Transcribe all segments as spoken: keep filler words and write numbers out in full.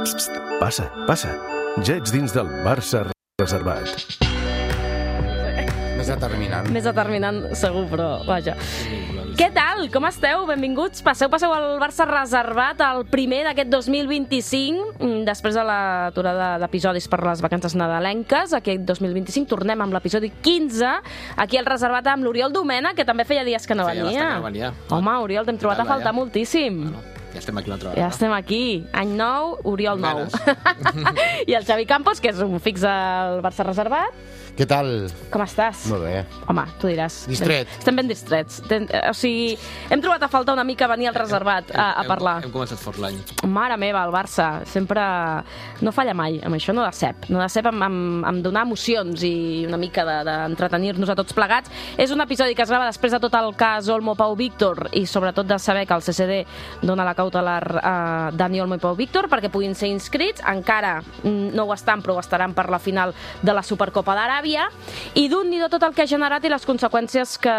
Psst, passa, passa. Ja ets dins del Barça reservat. Més determinant. Més determinant, segur, però vaja. Què tal? Com esteu? Benvinguts. Passeu, passeu al Barça reservat, el primer d'aquest dos mil vint-i-cinc, després de l'aturada d'episodis per les vacances nadalenques. Aquest dos mil vint-i-cinc tornem amb l'episodi quinze, aquí al reservat amb l'Oriol Domena, que també feia dies que no Feia venia. bastant que no venia. Home, Oriol, t'hem trobat a faltar ja. moltíssim. Bueno, ja estem aquí una altra Ja vegada. estem aquí. Any nou, Oriol nou. Ganes. I el Xavi Campos, que és un fix al Barça reservat. Què tal? Com estàs? Molt bé. Home, tu diràs. Distret. Estem ben distrets. Ten, o sigui, hem trobat a faltar una mica venir al reservat a, a parlar. Hem, hem començat fort l'any. Mare meva, el Barça sempre no falla mai, amb això no decep. No decep amb, amb, amb donar emocions i una mica d'entretenir-nos de, a tots plegats. És un episodi que es grava després de tot el cas Olmo Pau Víctor i sobretot de saber que el C C D dona la cautelar a Dani Olmo i Pau Víctor perquè puguin ser inscrits. Encara no ho estan, però ho estaran per la final de la Supercopa d'Aràbia. I d'un ni de tot el que ha generat i les conseqüències que,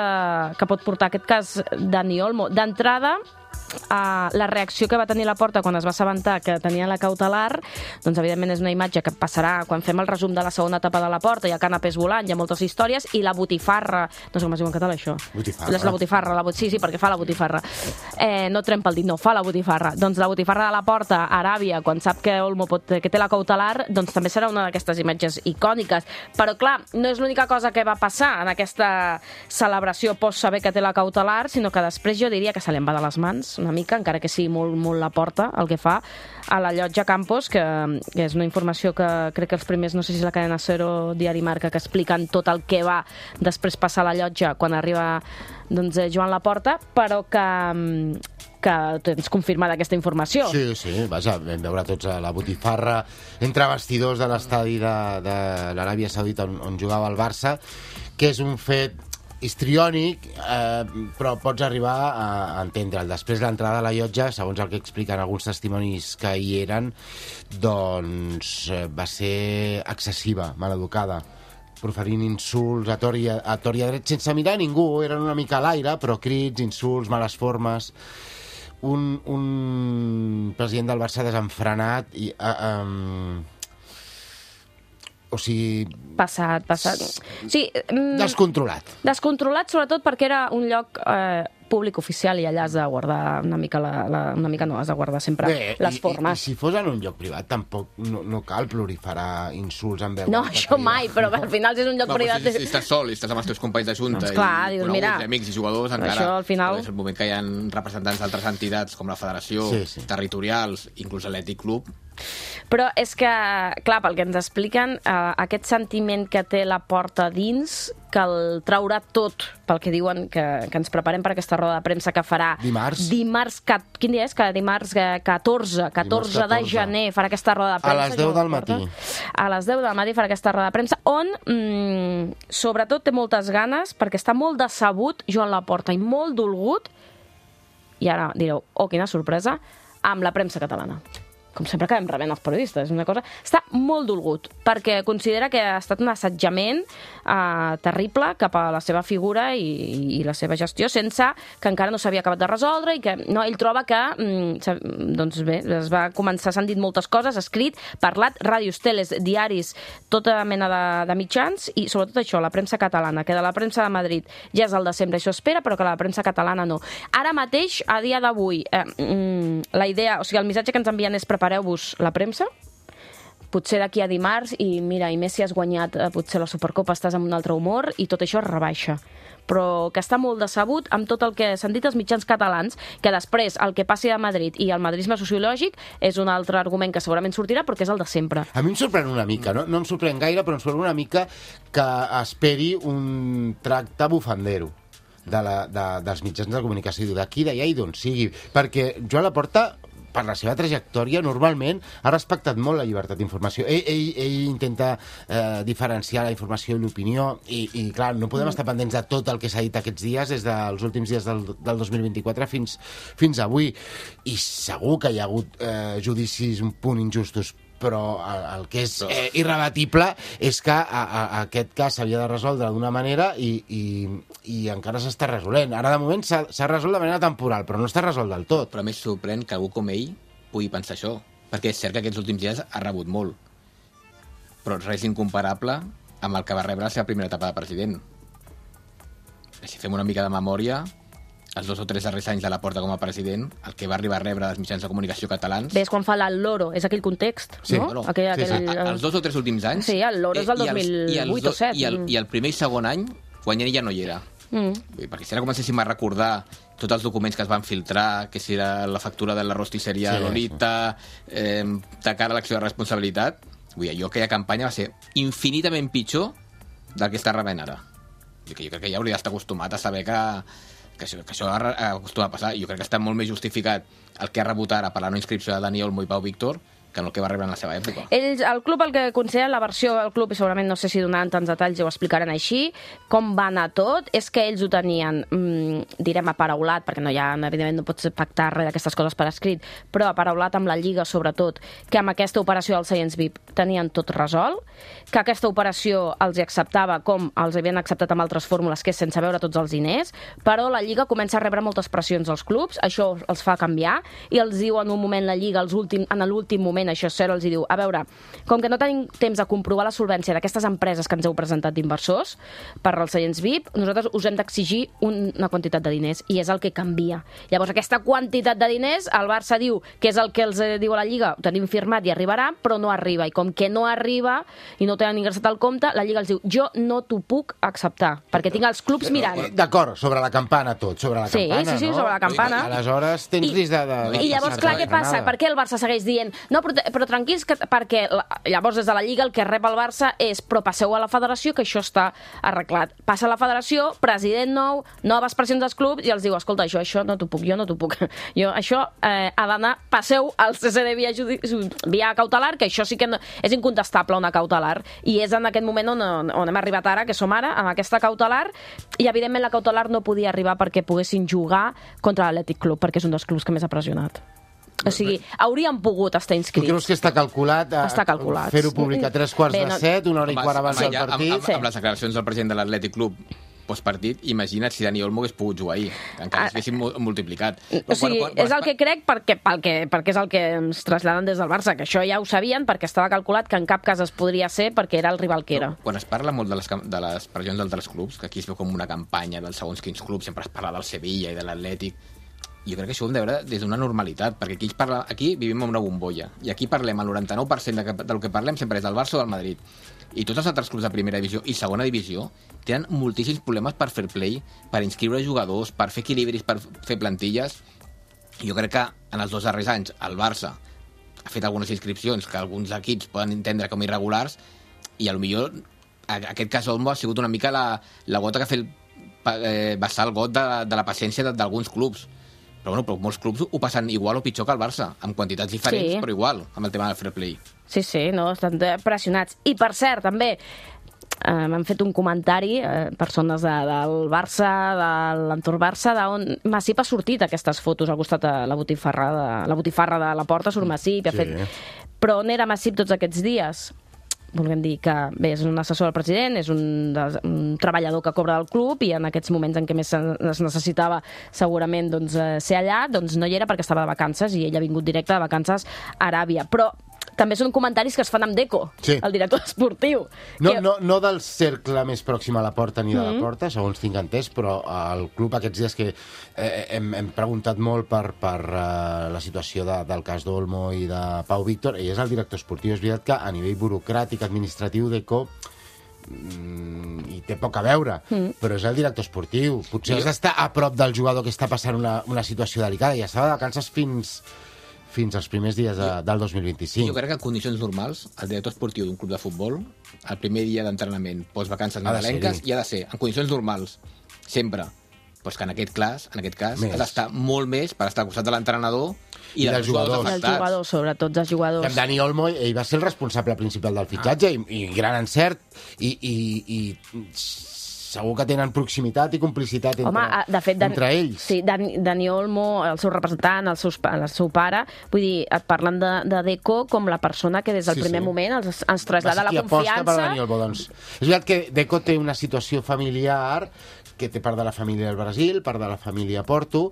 que pot portar aquest cas Dani Olmo. D'entrada, Uh, la reacció que va tenir la Porta quan es va assabentar que tenia la cautelar, doncs evidentment és una imatge que passarà quan fem el resum de la segona etapa de la Porta. Hi ha canapés volant, hi ha moltes històries, i la botifarra, no sé com es diu en català això. Botifarra. És la botifarra, la bot... sí, sí, perquè fa la botifarra. Eh, no trempa el dit, no, fa la botifarra. Doncs la botifarra de la Porta a Aràbia, quan sap que Olmo pot, que té la cautelar, doncs també serà una d'aquestes imatges icòniques. Però clar, no és l'única cosa que va passar en aquesta celebració post saber que té la cautelar, sinó que després jo diria que se li en va de les mans una mica, encara que sigui molt, molt la Porta el que fa a la llotja Campos, que, que és una informació que crec que els primers, no sé si és la cadena Cero, Diari Marca, que expliquen tot el que va després passar a la llotja quan arriba doncs, Joan Laporta, però que, que tens confirmada aquesta informació. Sí, sí, vaja, vam veure tots a la botifarra entre vestidors de l'estadi de, de l'Aràbia Saudita on, on jugava el Barça, que és un fet histriònic, eh, però pots arribar a entendre'l. Després l'entrada a la llotja, segons el que expliquen alguns testimonis que hi eren, doncs eh, va ser excessiva, maleducada, proferint insults a tor i a, a, tor i a dret, sense mirar a ningú, eren una mica a l'aire, però crits, insults, males formes. Un, un president del Barça desenfrenat i... Eh, um, o sigui... Passat, passat. Sí, mm, descontrolat. Descontrolat, sobretot perquè era un lloc eh, públic oficial i allà has de guardar una mica, la, la, una mica no, has de guardar sempre Bé, les i, formes. I, I si fos en un lloc privat tampoc no, no cal proliferar insults en veu No, alta, això crida. mai, però al final si és un lloc No, privat... però si, si estàs sol i estàs amb els teus companys de junta Doncs clar, i dius, coneguts, mira, i amics i jugadors, encara... això al final- És el moment que hi ha representants d'altres entitats com la Federació, Sí, sí. territorials, inclús l'Atlètic Club. Però és que, clar, pel que ens expliquen, eh, aquest sentiment que té la Porta dins, que el traurà tot, pel que diuen, que, que ens preparem per aquesta roda de premsa que farà... Dimarts. Dimarts, ca, quin dia és? Que dimarts eh, catorze, catorze de catorze. gener farà aquesta roda de A premsa. les deu del matí. A les deu del matí farà aquesta roda de premsa, on, mm, sobretot, té moltes ganes, perquè està molt decebut Joan Laporta i molt dolgut, i ara direu, oh, quina sorpresa, amb la premsa catalana. Com sempre acabem rebent els periodistes, és una cosa... Està molt dolgut, perquè considera que ha estat un assetjament eh, terrible cap a la seva figura i, i la seva gestió, sense que encara no s'havia acabat de resoldre, i que no, ell troba que, mm, doncs bé, es va començar, s'han dit moltes coses, escrit, parlat, ràdios, teles, diaris, tota mena de, de mitjans, i sobretot això, la premsa catalana, que de la premsa de Madrid ja és el desembre, això espera, però que la premsa catalana no. Ara mateix, a dia d'avui, eh, mm, la idea, o sigui, el missatge que ens envien és prepareu-vos la premsa, potser d'aquí a dimarts, i mira, i més si has guanyat eh, potser la Supercopa, estàs amb un altre humor, i tot això es rebaixa. Però que està molt decebut amb tot el que s'han dit els mitjans catalans, que després el que passi a Madrid i el madridisme sociològic és un altre argument que segurament sortirà, però que és el de sempre. A mi em sorprèn una mica, no, no em sorprèn gaire, però em sorprèn una mica que esperi un tracte bufandero de la, de, dels mitjans de comunicació d'aquí, d'allà i d'on sigui, perquè Joan Laporta, per la seva trajectòria, normalment ha respectat molt la llibertat d'informació. Ell, ell, ell intenta eh, diferenciar la informació i l'opinió, i, i clar, no podem estar pendents de tot el que s'ha dit aquests dies, des dels últims dies del, del dos mil vint-i-quatre fins, fins avui. I segur que hi ha hagut eh, judicis un punt injustos, però el, el que és eh, irrebatible és que a, a, a aquest cas s'havia de resoldre d'una manera i, i, i encara s'està resolent. Ara, de moment, s'ha resolt de manera temporal, però no està resolt del tot. Però a més sorprèn que algú com ell pugui pensar això, perquè és cert que aquests últims dies ha rebut molt, però res incomparable amb el que va rebre la seva primera etapa de president. Si fem una mica de memòria, els dos o tres darrers anys de la Porta com a president, el que va arribar a rebre dels mitjans de comunicació catalans... Bé, és quan fa el Loro, és aquell context, Sí, no? Bueno, aquell, sí, sí. aquell, Els dos o tres últims anys... Sí, el Loro és del eh, i els- dos mil i els vuit do- o set. I el, I el primer i segon any, quan ell ja no hi era. Mm. Vull dir, perquè si ara comencéssim a recordar tots els documents que es van filtrar, que si era la factura de la rostisseria Sí, Lolita, eh, de cara a l'acció de responsabilitat, vull dir, allò, aquella campanya va ser infinitament pitjor del que està rebent ara. Vull dir que jo crec que ja hauria d'estar acostumat a saber que, que, això, que això ha acostumat a passar. Jo crec que està molt més justificat el que ha rebut ara per la no inscripció de Dani Olmo i Pau Víctor que no el que va rebre en la seva època. Ells, el club, el que considera la versió del club, i segurament no sé si donaran tants detalls i ho explicaran així, com va anar tot, és que ells ho tenien, mmm, direm, aparaulat, perquè no hi ha, evidentment no pots pactar res d'aquestes coses per escrit, però aparaulat amb la Lliga, sobretot, que amb aquesta operació dels seients V I P tenien tot resolt, que aquesta operació els hi acceptava com els havien acceptat amb altres fórmules, que és sense veure tots els diners, però la Lliga comença a rebre moltes pressions als clubs, això els fa canviar, i els diu en un moment la Lliga, els últim, en l'últim moment, això és cert, els diu, a veure, com que no tenim temps de comprovar la solvència d'aquestes empreses que ens heu presentat d'inversors per als seients V I P, nosaltres us hem d'exigir una quantitat de diners, i és el que canvia. Llavors, aquesta quantitat de diners, el Barça diu que és el que els diu a la Lliga, ho tenim firmat i arribarà, però no arriba, i com que no arriba i no tenen ingressat al compte, la Lliga els diu, jo no t'ho puc acceptar, perquè tinc els clubs mirant. D'acord, sobre la campana tot, sobre la Sí, campana, sí, sí, no? sobre la campana. Aleshores tens I- risc de... de, I llavors, clar, què passa? Per què el Barça segueix dient no, però, però tranquils, que, perquè la, llavors des de la Lliga el que rep el Barça és però passeu a la federació que això està arreglat. Passa a la federació, president nou, noves pressions dels clubs i els diu, escolta, això, això no t'ho puc, jo no t'ho puc. Jo, això eh, ha d'anar, passeu al C C D via, judi... via cautelar, que això sí que no... és incontestable una cautelar. I és en aquest moment on, on hem arribat ara, que som ara, amb aquesta cautelar, i evidentment la cautelar no podia arribar perquè poguessin jugar contra l'Atlètic Club, perquè és un dels clubs que més ha pressionat. O sigui, haurien pogut estar Tu inscrits. creus que està calculat, a, Està calculat. fer-ho públic a tres quarts Bé, de no- set, una hora i Home, quart abans home, del ja, partit? Amb, amb, amb les declaracions del president de l'Atlètic Club postpartit, imagina't si Dani Olmo hagués pogut jugar ahir, encara s'haguessin mu- multiplicat. O sigui, és el que crec perquè, perquè, perquè és el que ens traslladen des del Barça, que això ja ho sabien perquè estava calculat que en cap cas es podria ser perquè era el rival que era. Quan es parla molt de les, cam- de les pressions d'altres clubs, que aquí es veu com una campanya dels segons quins clubs, sempre es parla del Sevilla i de l'Atlètic, jo crec que això ho hem de veure des d'una normalitat, perquè aquí, es parla, aquí vivim en una bombolla, i aquí parlem, el noranta-nou per cent de que, del que parlem sempre és del Barça o del Madrid. I tots els altres clubs de primera divisió i segona divisió tenen moltíssims problemes per fer play, per inscriure jugadors, per fer equilibris, per fer plantilles. Jo crec que en els dos darrers anys el Barça ha fet algunes inscripcions que alguns equips poden entendre com irregulars, i potser en aquest cas Olmo ha sigut una mica la, la gota que ha fet eh, vessar el got de, de la paciència d'alguns clubs. Però, bueno, però molts clubs ho passen igual o pitjor que el Barça, amb quantitats diferents, Sí. però igual, amb el tema del fair play. Sí, sí, no, estan pressionats. I, per cert, també, eh, m'han fet un comentari, eh, persones de, del Barça, de l'entorn Barça, d'on Masip ha sortit aquestes fotos al costat de la botifarra de la, botifarra de la Porta, surt Masip, i ha Sí. fet... Però on era Masip tots aquests dies? Volguem dir que, bé, és un assessor del president, és un, des, un treballador que cobra del club, i en aquests moments en què més es necessitava segurament doncs, eh, ser allà, doncs no hi era perquè estava de vacances, i ell ha vingut directe de vacances a Aràbia. Però també són comentaris que es fan amb Deco, Sí. el director esportiu. No, que... no, no del cercle més pròxim a la porta ni de Mm-hmm. la porta, segons tinc entès, però el club aquests dies que eh, hem, hem preguntat molt per, per uh, la situació de, del cas d'Olmo i de Pau Víctor, ell és el director esportiu. És veritat que a nivell burocràtic, administratiu, Deco, mm, hi té poc a veure, mm. però és el director esportiu. Potser has d'estar a prop del jugador que està passant una, una situació delicada, i estava de vacances fins... fins als primers dies de, del dos mil vint-i-cinc. Jo crec que en condicions normals, el director esportiu d'un club de futbol, el primer dia d'entrenament, post-vacances Ha de nadalenques, ser-hi. i ha de ser, en condicions normals, sempre. Però és que en aquest cas, en aquest cas, Més. ha d'estar molt més per estar al costat de l'entrenador i, I dels dels jugadors jugadors. dels afectats. jugadors, sobretot dels jugadors. En Dani Olmo, ell va ser el responsable principal del fitxatge, i, i gran encert, i, i, i segur que tenen proximitat i complicitat entre, Home, ah, de fet, Dan, entre ells. Sí, Dani, Dani Olmo, el seu representant, el, seus, el seu pare, vull dir, et parlen de, de Deco com la persona que des del Sí, primer sí. moment ens, ens Va trasllada ser la qui aposta per confiança. Dani Olmo, doncs. És veritat que Deco té una situació familiar, que té part de la família del Brasil, part de la família a Porto,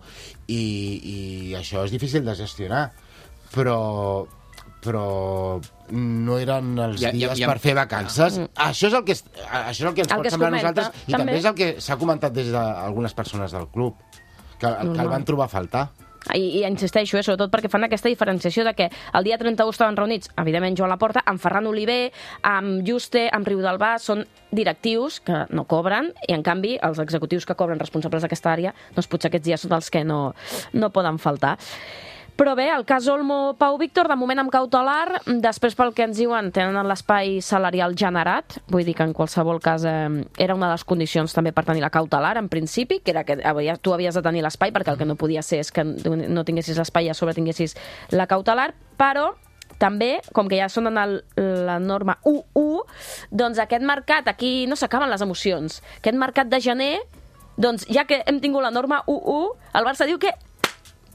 i, i això és difícil de gestionar. Però però no eren els Ja- ja- dies ja- per fer vacances. Ah. Això és el que, es- això és el que ens El pot que es semblar a comenta, nosaltres i també. també és el que s'ha comentat des d'algunes persones del club, que, que el Normal. van trobar a faltar. I, i insisteixo, eh, sobretot perquè fan aquesta diferenciació de que el dia trenta-u estaven reunits, evidentment, Joan Laporta, amb Ferran Oliver, amb Juste, amb Riudelbà, són directius que no cobren, i en canvi els executius que cobren responsables d'aquesta àrea, doncs potser aquests dies són els que no, no poden faltar. Però bé, el cas Olmo Pau Víctor, de moment amb cautelar, després pel que ens diuen tenen l'espai salarial generat, vull dir que en qualsevol cas eh, era una de les condicions també per tenir la cautelar, en principi, que era que havia, tu havies de tenir l'espai, perquè el que no podia ser és que no tinguessis l'espai i a sobre tinguessis la cautelar, però també, com que ja són en el, la norma u u, doncs aquest mercat, aquí no s'acaben les emocions. Aquest mercat de gener, doncs ja que hem tingut la norma u u, el Barça diu que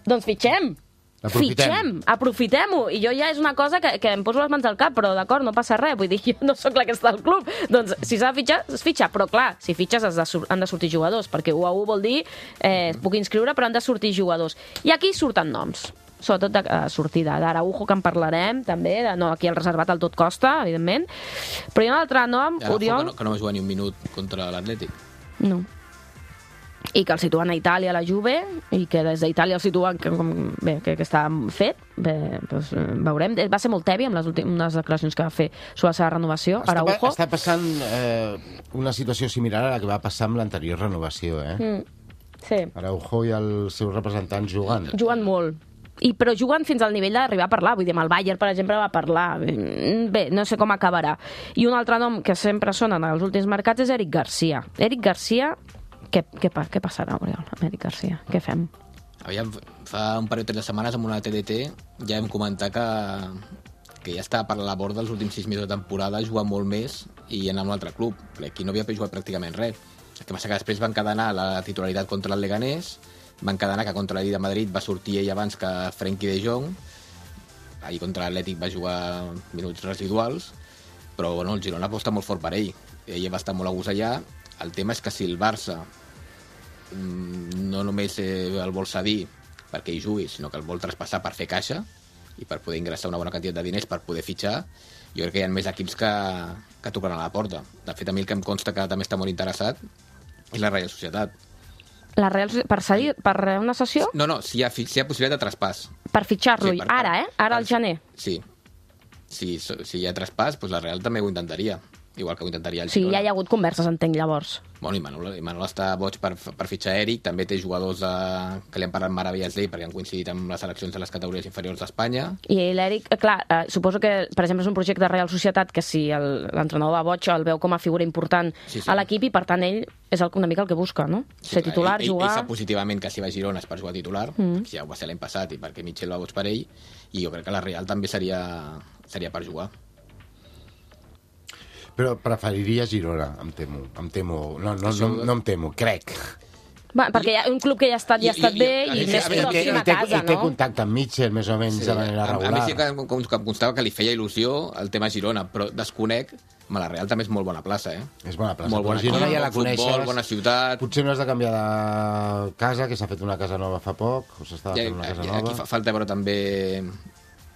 doncs fitxem. Aprofitem. Fitxem, aprofitem-ho. I jo ja és una cosa que, que em poso les mans al cap, però d'acord, no passa res. Vull dir, jo no sóc la que està al club. Doncs si s'ha de fitxar, es fitxa. Però clar, si fitxes has de, sur- han de sortir jugadors, perquè u a u vol dir eh, puc inscriure, però han de sortir jugadors. I aquí surten noms, sobretot de uh, sortida. d'Araujo, que en parlarem, també. De, no, aquí el reservat al tot costa, evidentment. Però hi ha un altre nom, Araujo, Oriol... que no, que no va jugar ni un minut contra l'Atlètic. No. I que el situen a Itàlia, a la Juve, i que des d'Itàlia el situen que, com, bé, que, que està fet. Bé, doncs, eh, veurem. Va ser molt tebi amb les últimes declaracions que va fer sobre la seva renovació, Està, Araujo. pa- està passant eh, una situació similar a la que va passar amb l'anterior renovació, eh? Mm. Sí. Araujo i els seus representants jugant. Juguen molt. I, però juguen fins al nivell d'arribar a parlar. Vull dir, amb el Bayern, per exemple, va parlar. Bé, no sé com acabarà. I un altre nom que sempre sona en els últims mercats és Eric Garcia. Eric Garcia, què, què, pa- què passarà, Oriol, amb Eric Garcia? Què fem? Aviam, fa un parell o tres de setmanes amb una T D T ja hem comentat que, que ja estava per la borda els últims sis mesos de temporada, jugar molt més i anar a un altre club. Aquí no havia jugat pràcticament res. El que passa que després van encadenar la titularitat contra el Leganés, van encadenar que contra l'I de Madrid va sortir ell abans que Frenkie de Jong, ahir contra l'Atlètic va jugar minuts residuals, però bueno, el Girona aposta molt fort per ell. Ell va estar molt a gust allà. El tema és que si el Barça no només eh, el vol cedir perquè hi jugui, sinó que el vol traspassar per fer caixa i per poder ingressar una bona quantitat de diners per poder fitxar, jo crec que hi ha més equips que, que tocaran a la porta. De fet, a mi el que em consta que també està molt interessat és la Reial Societat. La Real, per, cedir, per una sessió? No, no, si hi ha, fi- si hi ha possibilitat de traspàs. Per fitxar-lo, Sí, per- ara, eh? Ara al gener. Sí. Si, si hi ha traspàs, doncs la Real també ho intentaria. Igual que ho intentaria el O sigui, Girona. ja hi ha hagut converses, entenc, llavors. Bueno, i Manol, i Manol està boig per, per fitxar Eric, també té jugadors de, que li han parlat meravelles d'ell perquè han coincidit amb les seleccions de les categories inferiors d'Espanya. I l'Eric, eh, clar, eh, suposo que, per exemple, és un projecte de Real Societat que si el- l'entrenador va boig el veu com a figura important Sí, sí. a l'equip i, per tant, ell és el, una mica el que busca, no? Sí, Ser clar, titular, ell, jugar... Ell, ell sap positivament que si va a Girona és per jugar titular, mm. que ja ho va ser l'any passat i perquè Mitchell va boig per ell, i jo crec que la Real també seria, seria per jugar. Però preferiria Girona, em temo. Em temo. No, no, Això- no, no em temo, crec. Va, perquè hi ha un club que ja ha estat, ja ha I- estat i- bé i- i, i- més a veure, pròxim a té, casa, i té no? contacte amb Mitchell, més o menys, de manera a, a mi regular. sí que em, com, que em constava que li feia il·lusió el tema Girona, però desconec, ma la Real també és molt bona plaça, eh? És bona plaça. Molt Però bona Girona equip, ja la bon futbol, coneixes. bona ciutat. Potser no has de canviar de casa, que s'ha fet una casa nova fa poc, o s'estava Ja, fent una casa aquí, nova. aquí fa falta veure també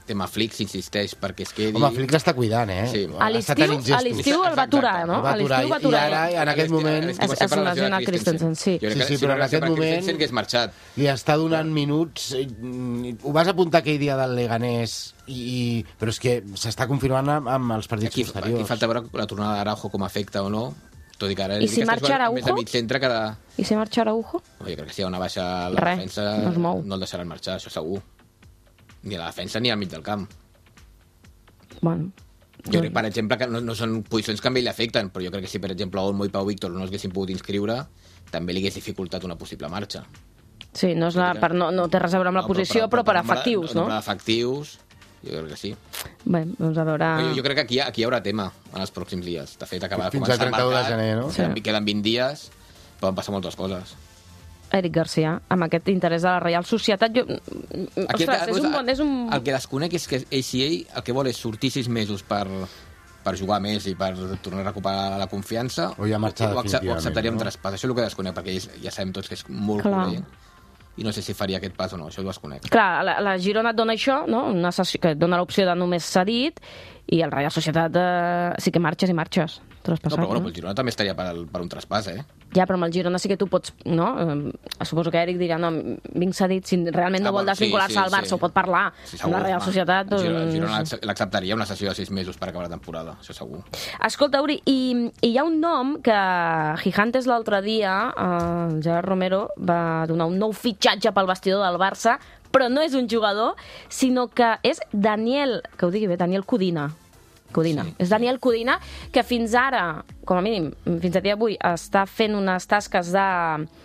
tema Flick, insisteix perquè es quedi. Home, Flick l'està cuidant, eh? Sí. A Està l'estiu tenint a gestos. l'estiu el va aturar, no? El va A l'estiu aturar, va i aturar. ara, en aquest moment, Es- es lesiona Christensen, sí. Jo crec Sí, que sí, si però no en hagués aquest per moment- Christensen que és marxat. li està donant minuts. eh, Ho vas apuntar aquell dia del Leganés, i, i, però és que s'està confirmant amb, amb els partits Aquí, posteriors. aquí falta veure la tornada d'Araujo com afecta o no, tot i que ara I si marxa Araujo? més de mig centre que de... I si marxa Araujo? Jo crec que si hi ha una baixa a la Res, defensa no es mou. no el deixaran marxar, això segur. Ni a la defensa ni al mig del camp. Bueno, Jo crec, per exemple, que no, no són posicions que a ell li afecten, però jo crec que si, per exemple, Olmo i Pau Víctor no es haguessin pogut inscriure, també li hagués dificultat una possible marxa. sí, no, és la, per, no, no té res a veure amb la No, posició, però, per nombre- efectius, no? nombre d'efectius, jo crec que sí. Bé, doncs a veure... Jo, jo crec que aquí, hi ha- aquí hi haurà tema en els pròxims dies. De fet, acaba de Fins al començar el trenta-u de mercat, gener, no? Queden, Sí. queden vint dies, poden passar moltes coses. Eric Garcia, amb aquest interès de la Reial Societat, jo... Aquí, Ostres, és un bon... És un... El que desconec és que ell, si ell el que vol és sortir sis mesos per, per jugar més i per tornar a recuperar la confiança, O ja marxar ho, acce- ho definitivament, acceptaria amb no? traspàs. Això és el que desconec, perquè ja, ja sabem tots que és molt Clar. culer. i no sé si faria aquest pas o no, això ho desconec. Clar, la, la Girona et dona això, no? Una sessió, que et dona l'opció de només cedit, i el Real Societat eh, sí que marxes i marxes. No, però bueno, el Girona també estaria per, per un traspàs, eh? Ja, però amb el Girona sí que tu pots, no? Eh, suposo que Eric dirà, no, vinc cedit, si realment no Ah, vol bueno, desvincular-se sí, sí, al Barça, sí. ho pot parlar. Sí, amb la Real va. Societat, El Girona, el doncs... Girona l'acceptaria una sessió de sis mesos per acabar la temporada, això segur. Escolta, Uri, i, i hi ha un nom que Gigantes l'altre dia, eh, el Gerard Romero, va donar un nou fitxatge pel vestidor del Barça, però no és un jugador, sinó que és Daniel, que ho digui bé, Daniel Codina. Codina. Sí. És Daniel Codina, que fins ara, com a mínim, fins a dia d'avui, està fent unes tasques de...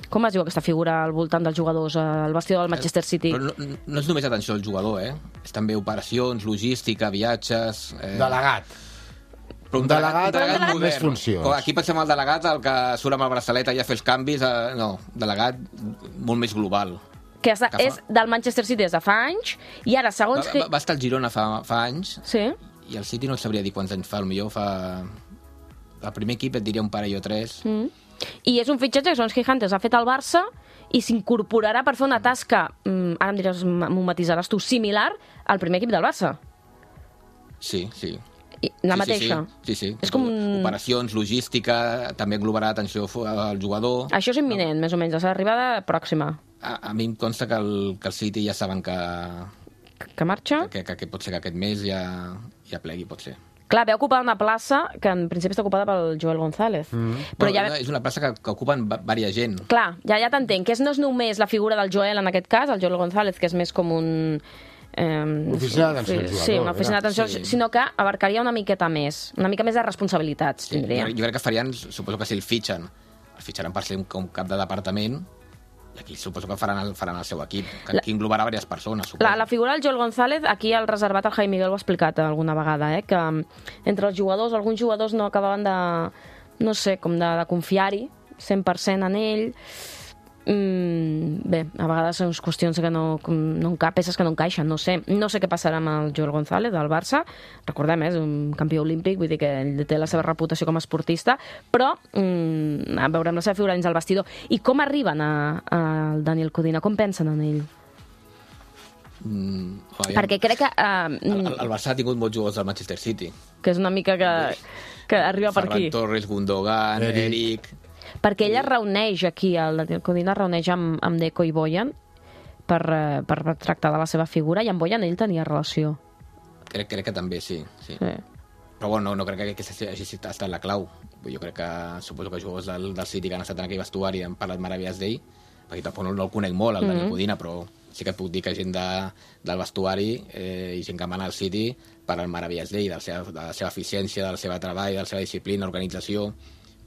Com es diu aquesta figura al voltant dels jugadors, al vestidor del Manchester City? Però no, no és només atenció al jugador, eh? És també operacions, logística, viatges... Eh... Delegat. Però Un delegat, un delegat amb més modern. funcions. Com aquí pensem el delegat, el que surt amb el braçalet allà a fer els canvis. Eh... No, delegat molt més global. Que és, que fa- és del Manchester City des de fa anys, i ara, Va, segons... va, va estar al Girona fa, fa anys, Sí? i el City no sabria dir quants anys fa, potser fa... El primer equip et diria un parell o tres. Mm. I és un fitxatge que Sons Gigantes ha fet al Barça i s'incorporarà per fer una tasca, mm, ara em diràs, m'ho matisaràs tu, similar al primer equip del Barça. Sí, sí. I, la sí, mateixa. Sí, sí. sí. És com un- Operacions, logística, també englobarà atenció al jugador. Això és imminent, més o menys, la seva arribada pròxima. A, a mi em consta que el, que el City ja saben que, Que marxa? que, que, que pot ser que aquest mes ja, ja plegui, pot ser. Clar, ve ocupar una plaça que en principi està ocupada pel Joel González. Mm. Però Bueno, ja... És una plaça que, que ocupen va- varia gent. Clar, ja, ja t'entenc, que és, no és només la figura del Joel en aquest cas, el Joel González, que és més com un... Eh, Oficina d'atenció al jugador, Sí, una oficina era. d'atenció, Sí. sinó que abarcaria una miqueta més, una mica més de responsabilitats, Sí, tindria. jo, jo crec que farien, suposo que si el fitxen, el fitxaran per ser un, com cap de departament, i aquí suposo que faran el, faran el seu equip, que La- aquí englobarà diverses persones, suposo. La, la figura del Joel González, aquí al reservat el Jaime Miguel ho ha explicat alguna vegada, eh? Que mm, entre els jugadors, alguns jugadors no acabaven de, no sé, com de, de confiar-hi cent per cent en ell. Mm, bé, a vegades són qüestions que no, com, no enca, peces que no encaixen, no sé. No sé què passarà amb el Joel González del Barça, recordem, eh, és un campió olímpic, vull dir que ell té la seva reputació com a esportista, però mm, veurem la seva figura dins del vestidor. I com arriben a, a Daniel Codina? Com pensen en ell? Mm, aviam. Perquè crec que... Uh, El, el, el Barça ha tingut molts jugadors del Manchester City. que és una mica que, que arriba per Ferran aquí. Torres, Gundogan, Eric. Eric... Perquè ella es reuneix aquí, el Daniel Codina es reuneix amb, amb Deco i Boyan per, eh, per tractar de la seva figura, i amb Boyan ell tenia relació. Crec, crec que també, sí. sí. Sí. Però bueno, no, no crec que aquesta hagi estat la clau. Jo crec que suposo que jugadors del, del City que han estat en aquell vestuari han parlat meravelles d'ell, perquè tampoc no, no el conec molt, el mm -hmm. Daniel Codina, però sí que et puc dir que gent de, del vestuari eh, i gent que mana al City parlen meravelles d'ell, de, la seva, de la seva eficiència, del seu treball, de la seva disciplina, organització.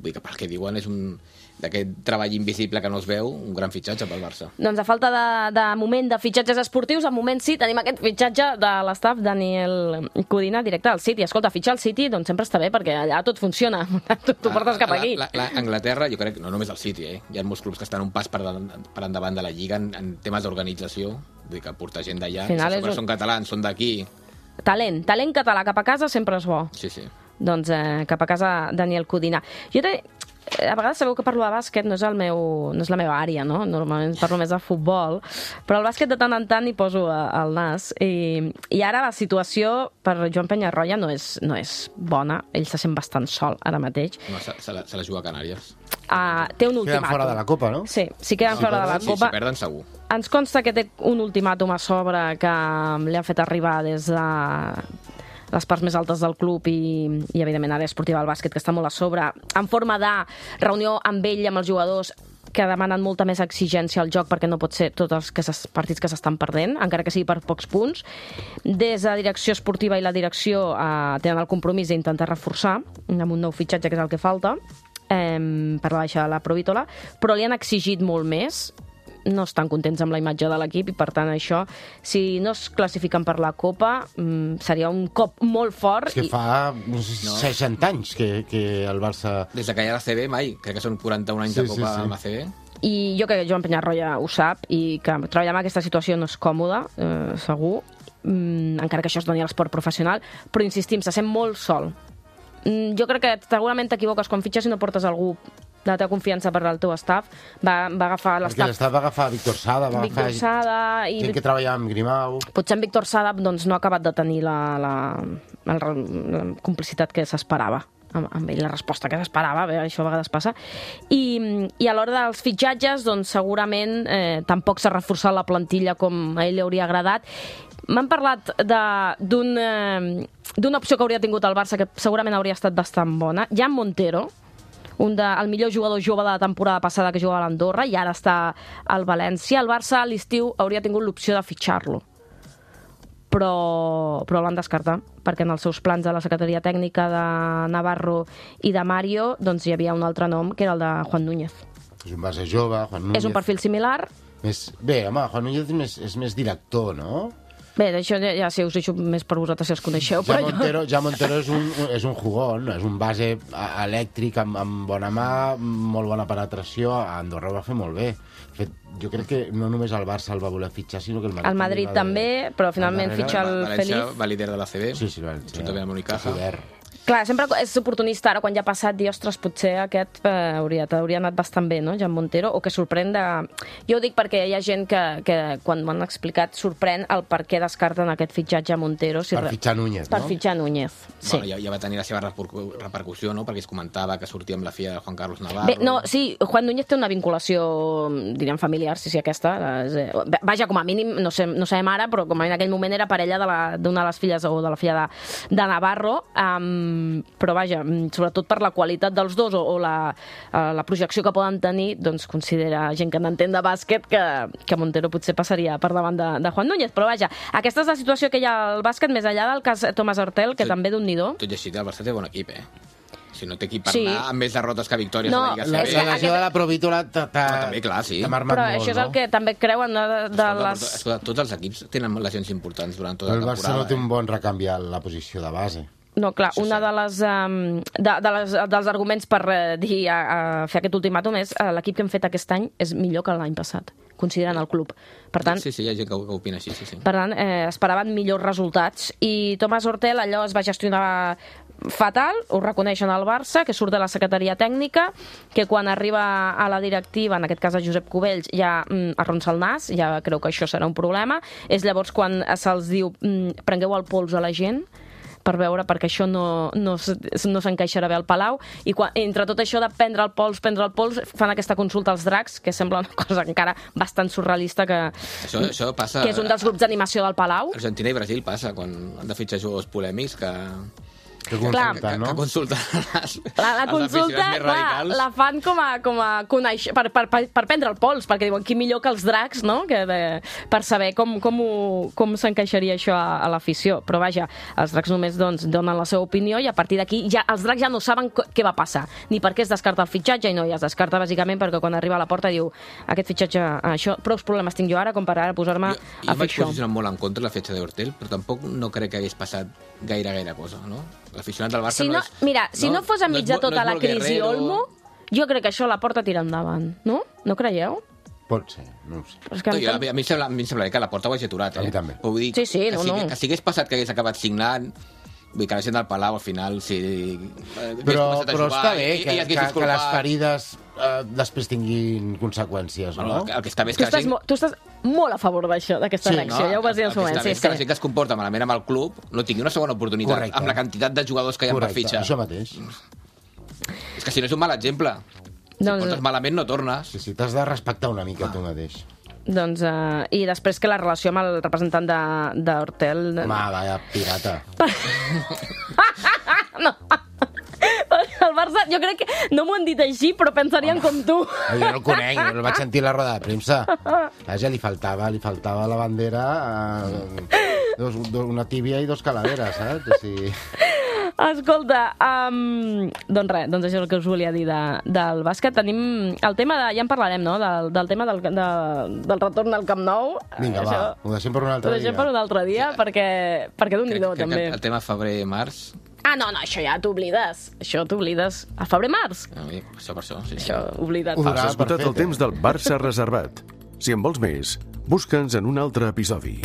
Vull dir que pel que diuen és un d'aquest treball invisible que no es veu, un gran fitxatge pel Barça. Doncs a falta de, de moment de fitxatges esportius, al moment sí, tenim aquest fitxatge de l'estaf Daniel Codina directe al City. Escolta, fitxar al City doncs sempre està bé, perquè allà tot funciona. Tu, tu portes cap aquí. La, la, la Anglaterra, jo crec, no només el City, eh? Hi ha molts clubs que estan un pas per, de, per endavant de la Lliga en, en temes d'organització. Vull dir que portar gent d'allà, Al final si és un- són catalans, són d'aquí. Talent, talent català cap a casa sempre és bo. Sí, sí. Doncs eh, cap a casa Daniel Codina. Jo te, eh, a vegades sabeu que parlo de bàsquet, no és, el meu, no és la meva àrea, no? Normalment parlo més de futbol, però el bàsquet de tant en tant hi poso a, al nas. I, I ara la situació per Joan Penyarroia no és, no és bona, ell se sent bastant sol ara mateix. No, se, se, la, se la juga a Canàries. Uh, té un Queden ultimàtum. fora de la Copa, no? Sí, sí queden Si fora de la perden, Sí, Copa. si perden, segur. Ens consta que té un ultimàtum a sobre que li han fet arribar des de les parts més altes del club i, i evidentment, àrea esportiva del bàsquet, que està molt a sobre, en forma de reunió amb ell i amb els jugadors que demanen molta més exigència al joc, perquè no pot ser tots els que ses, partits que s'estan perdent, encara que sigui per pocs punts. Des de la direcció esportiva i la direcció eh, tenen el compromís d'intentar reforçar amb un nou fitxatge, que és el que falta, eh, per la baixa de la Provítola, però li han exigit molt més, no estan contents amb la imatge de l'equip i, per tant, això, si no es classifiquen per la Copa, mm, seria un cop molt fort. És que fa no sé, No. seixanta anys que, que el Barça... Des de que hi ha la C B, mai. Crec que són quaranta-un anys Sí, de sí, Copa sí. amb la C B. I jo crec que Joan Penyarroia ho sap i que treballar en aquesta situació no és còmode, eh, segur, mm, encara que això es doni a l'esport professional, però insistim, se sent molt sol. Mm, jo crec que segurament t'equivoques quan fitxes i no portes algú de la teva confiança per al teu staff, va, va agafar Perquè l'estaf... l'estaf va agafar Víctor Sada, va Víctor agafar Sada i... gent que treballava amb Grimau. Potser en Víctor Sada doncs, no ha acabat de tenir la, la, la, la complicitat que s'esperava amb, amb ell, la resposta que s'esperava, bé, això a vegades passa. I, i a l'hora dels fitxatges, doncs, segurament eh, tampoc s'ha reforçat la plantilla com a ell li hauria agradat. M'han parlat d'una eh, opció que hauria tingut el Barça que segurament hauria estat bastant bona. Jan Montero, un de, el millor jugador jove de la temporada passada que jugava a l'Andorra i ara està al València. El Barça a l'estiu hauria tingut l'opció de fitxar-lo, però, però l'han descartat, perquè en els seus plans de la secretaria tècnica de Navarro i de Mario doncs hi havia un altre nom, que era el de Juan Núñez. És un base jove, Juan Núñez. És un perfil similar. Més... Bé, home, Juan Núñez és més, és més director, no? Bé, d'això ja, ja si us deixo més per vosaltres si els coneixeu. Ja Però Montero, jo... ja Montero és un, és un jugón, és un base elèctric amb, amb bona mà, molt bona penetració. A Andorra ho va fer molt bé. De fet, jo crec que no només el Barça el va voler fitxar, sinó que el Madrid... El Madrid també, però finalment fitxa el València Feliz. va líder de l'A C B, Sí, sí, València. juntament amb Unicaja. Clar, sempre és oportunista, ara quan ja ha passat, dir, ostres, potser aquest eh, hauria, hauria anat bastant bé, no?, Jan Montero, o que sorprèn de... Jo ho dic perquè hi ha gent que, que quan m'han explicat, sorprèn el per què descarten aquest fitxatge a Montero. Si Per re... fitxar Núñez, Per no? fitxar Núñez, sí. Bueno, ja, ja va tenir la seva repercussió, no?, perquè es comentava que sortia amb la filla de Juan Carlos Navarro. Bé, no, sí, Juan Núñez té una vinculació, diríem, familiar, sí, sí, aquesta. És, vaja, com a mínim, no sé, no sabem ara, però com a mínim en aquell moment era parella d'una de, de les filles, o de la filla de, de Navarro, um, però vaja, sobretot per la qualitat dels dos o, o la, uh, la projecció que poden tenir, doncs considera gent que n'entén de bàsquet que, que Montero potser passaria per davant de, de Juan Núñez. Però vaja, aquesta és la situació que hi ha al bàsquet, més enllà del cas Tomàs Hortel, que tot, també d'un-nidó. Tot i així, el Barça té bon equip, eh? Si no té equip per Sí. anar amb més derrotes que victòries No, a la Lliga La, és C B. la que lesió aquest- de la Provítola t'ha Home, també, clar, sí. t'ha marmat Però molt, això és no? el que també creuen de, de Escolta, les... però, escolta, tots els equips tenen lesions importants durant tota El la Barça temporada. no té un eh? bon recanvi a la posició de base. No, clar, Això una sí. de les, um, de, de les, dels arguments per eh, dir, a, a fer aquest ultimàtum és uh, l'equip que hem fet aquest any és millor que l'any passat, considerant el club. Per tant, Sí, sí, hi ha gent que, que opina així, sí, sí. per tant eh, esperaven millors resultats. I Tomàs Hortel allò es va gestionar fatal, ho reconeixen al Barça, que surt de la secretaria tècnica, que quan arriba a la directiva, en aquest cas a Josep Cubells, ja mm, arronsa el nas, ja creu que això serà un problema. És llavors quan se'ls diu mm, prengueu el pols a la gent, per veure, perquè això no, no, s- no s'encaixarà bé al Palau, i quan, entre tot això de prendre el pols, prendre el pols, fan aquesta consulta als dracs, que sembla una cosa encara bastant surrealista, que, Això, això passa... que és un dels grups d'animació del Palau. Argentina i Brasil passa, quan han de fitxar jugadors polèmics que... Que Clar. consulta, que, no? que consulten les, La, la els consulta, aficionats més clar, radicals. la fan com a, com a conèixer, per, per, per, per prendre el pols, perquè diuen qui millor que els dracs, no?, que de, per saber com, com, ho- com s'encaixaria això a, a l'afició. Però vaja, els dracs només doncs, donen la seva opinió i a partir d'aquí ja, els dracs ja no saben co- què va passar, ni per què es descarta el fitxatge, i no, ja es descarta bàsicament perquè quan arriba a la porta diu aquest fitxatge, això, prou problemes tinc jo ara com per ara posar-me Jo, a jo fer vaig això. posicionar molt en contra de la fetge d'Hortel, però tampoc no crec que hagués passat gaire, gaire cosa, no? L'aficionat del Barça Si no, no és... mira, si no, fos enmig és de molt- tota no és la molt crisi guerrero. Olmo, jo crec que això la porta tira endavant, no? No creieu? Pot ser, no ho sé. Però és que No, em jo, a, sembla- mi, a, mi em sembla, a mi em sembla que la porta ho hagi aturat, eh? A mi també. Però vull dir, Sí, sí, que, no, si, no. que si hagués passat que hagués acabat signant, vull dir que la gent del Palau, al final, si... eh, hagués Però, començat a però jugar està bé i- que, i es hagués que, que les disculpat. ferides eh, després tinguin conseqüències, Bueno, no? el, que, el que està bé és Tu que la estàs, gent... mo- tu estàs molt a favor d'això, d'aquesta Sí, reacció, ja ho vas dir en el seu el que moment. està bé Sí, és que la sí. gent que es comporta malament amb el club no tingui una segona oportunitat Correcte. amb la quantitat de jugadors que hi ha per Correcte, fitxar. això mateix. És que si no és un mal exemple. Si Doncs- portes malament no tornes. Sí, sí, t'has de respectar una mica tu mateix. Doncs, uh, i després que la relació amb el representant de, de Hortel... Home, vaya pirata. no. El Barça, jo crec que no m'ho han dit així, però pensarien com tu. Jo no el conec, jo el vaig sentir a la roda de premsa. Vaja, li faltava, li faltava la bandera, eh, dos, dos, una tíbia i dos calaveres, saps? O sigui... Escolta, um, doncs res, doncs això és el que us volia dir de, del bàsquet. Tenim el tema de... Ja en parlarem, no?, del, del tema del, de, del retorn al Camp Nou. Vinga, Això, va, ho deixem per un Ho altre deixem dia. per un altre dia, perquè, perquè Crec, d'un-hi-do, crec també. que el tema febrer-març... Ah, no, no, això ja t'oblides. Això t'oblides. A febrer-març. Això per això, sí. sí. Això, oblida't. Ho Has durà esgotat el perfecte. temps del Barça reservat. Si en vols més, busca'ns en un altre episodi.